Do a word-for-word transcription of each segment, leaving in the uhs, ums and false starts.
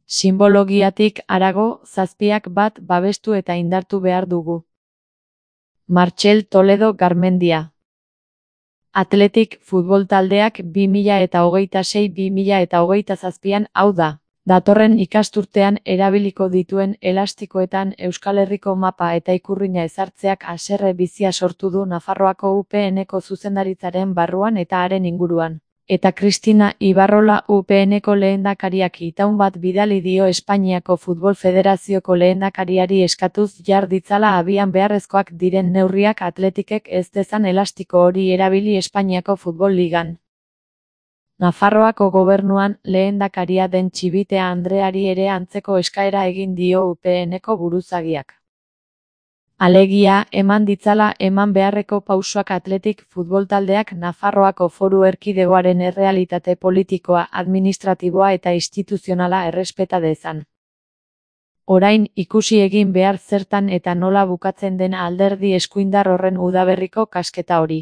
Sinbologiatik harago, zazpiak bat babestu eta indartu behar dugu. Martxel Toledo Garmendia. Athletic futbol taldeak bi mila hogeita sei bi mila hogeita zazpian, hau da, datorren ikasturtean erabiliko dituen elastikoetan Euskal Herriko mapa eta ikurrina ezartzeak haserre bizia sortu du Nafarroako U P N-ko zuzendaritzaren barruan eta haren inguruan. Eta Cristina Ibarrola U P N-ko lehendakariak itaun bat bidali dio Espainiako Futbol Federazioko lehendakariari eskatuz jar ditzala abian beharrezkoak diren neurriak Athleticek ez dezan elastiko hori erabili Espainiako Futbol Ligan. Nafarroako gobernuan lehendakaria den Txibitea Andreari ere antzeko eskaera egin dio U P N-ko buruzagiak. Alegia, eman ditzala eman beharreko pausoak Athletic futbol taldeak Nafarroako Foru Erkidegoaren errealitate politikoa, administratiboa eta instituzionala errespeta dezan. Orain, ikusi egin behar zertan eta nola bukatzen den alderdi eskuindar horren udaberriko kasketa hori.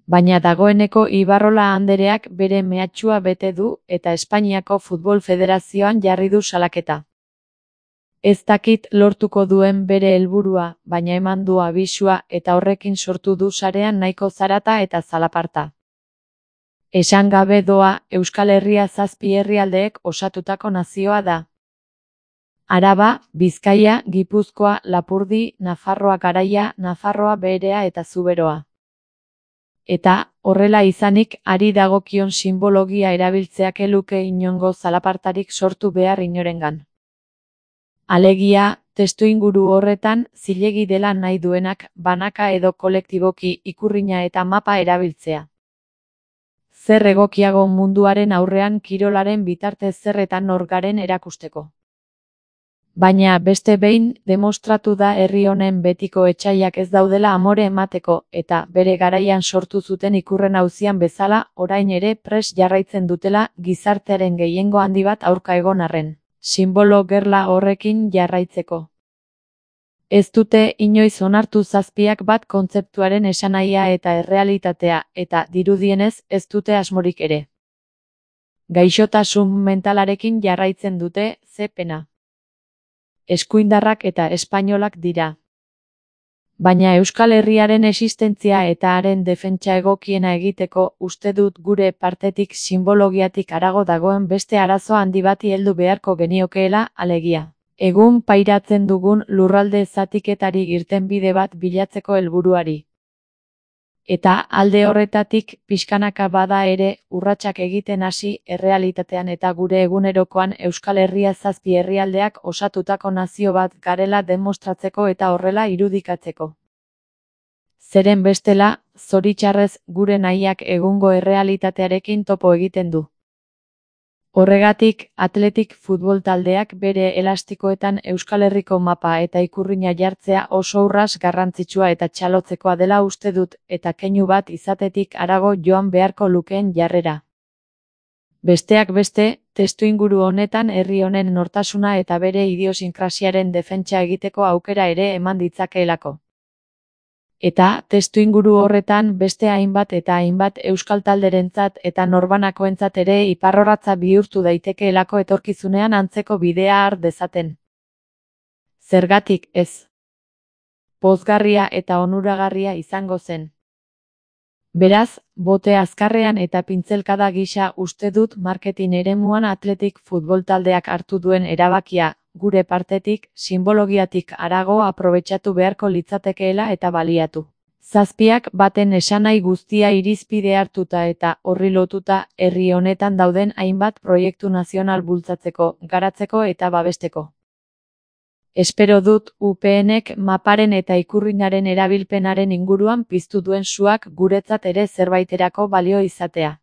Baina dagoeneko Ibarrola andereak bere mehatxua bete du eta Espainiako Futbol Federazioan jarri du salaketa. Ez dakit lortuko duen bere helburua, baina eman du abisua eta horrekin sortu du sarean nahiko zarata eta zalaparta. Esan gabe doa, Euskal Herria zazpi herrialdeek osatutako nazioa da. Araba, Bizkaia, Gipuzkoa, Lapurdi, Nafarroa Garaia, Nafarroa Beherea eta Zuberoa. Eta, horrela izanik, ari dagokion sinbologia erabiltzeak eluke inongo zalapartarik sortu behar inorengan. Alegia, testuinguru horretan, zilegi dela nahi duenak, banaka edo kolektiboki ikurrina eta mapa erabiltzea. Zer egokiago munduaren aurrean kirolaren bitartez zerretan nor garen erakusteko. Baina beste behin, demostratu da herri honen betiko etsaiak ez daudela amore emateko, eta bere garaian sortu zuten ikurren auzian bezala, orain ere pres jarraitzen dutela, gizartearen gehiengo handi bat aurka egon arren. Sinbolo gerla horrekin jarraitzeko. Ez dute inoiz onartu zazpiak bat kontzeptuaren esanahia eta errealitatea, eta dirudienez ez dute asmorik ere. Gaixotasun mentalarekin jarraitzen dute, ze pena. Eskuindarrak eta espainolak dira. Baina Euskal Herriaren existentzia eta haren defentsa egokiena egiteko, uste dut gure partetik sinbologiatik harago dagoen beste arazo handi bati heldu beharko geniokeela, alegia. Egun pairatzen dugun lurralde zatiketari irtenbide bat bilatzeko helburuari. Eta alde horretatik, pixkanaka bada ere, urratsak egiten hasi, errealitatean eta gure egunerokoan Euskal Herria zazpi herrialdeak osatutako nazio bat garela demostratzeko eta horrela irudikatzeko. Zeren bestela, zoritxarrez, gure nahiak egungo errealitatearekin topo egiten du. Horregatik, Athletic futbol taldeak bere elastikoetan Euskal Herriko mapa eta ikurrina jartzea oso urras garrantzitsua eta txalotzekoa dela uste dut, eta keinu bat izatetik harago joan beharko lukeen jarrera. Besteak beste, testuinguru honetan herri honen nortasuna eta bere idiosinkrasiaren defentsa egiteko aukera ere eman ditzakeelako. Eta, testuinguru horretan beste hainbat eta hainbat euskal talderentzat eta norbanakoentzat ere iparrorratza bihurtu daitekeelako etorkizunean antzeko bidea har dezaten. Zergatik ez. Pozgarria eta onuragarria izango zen. Beraz, bote azkarrean eta pintzelkada gisa uste dut marketing eremuan Athletic futbol taldeak hartu duen erabakia, gure partetik, sinbologiatik harago aprobetxatu beharko litzatekeela eta baliatu. Zazpiak baten esanahi guztia irizpide hartuta eta horri lotuta herri honetan dauden hainbat proiektu nazional bultzatzeko, garatzeko eta babesteko. Espero dut U P N-ek maparen eta ikurrinaren erabilpenaren inguruan piztu duen suak guretzat ere zerbaiterako balio izatea.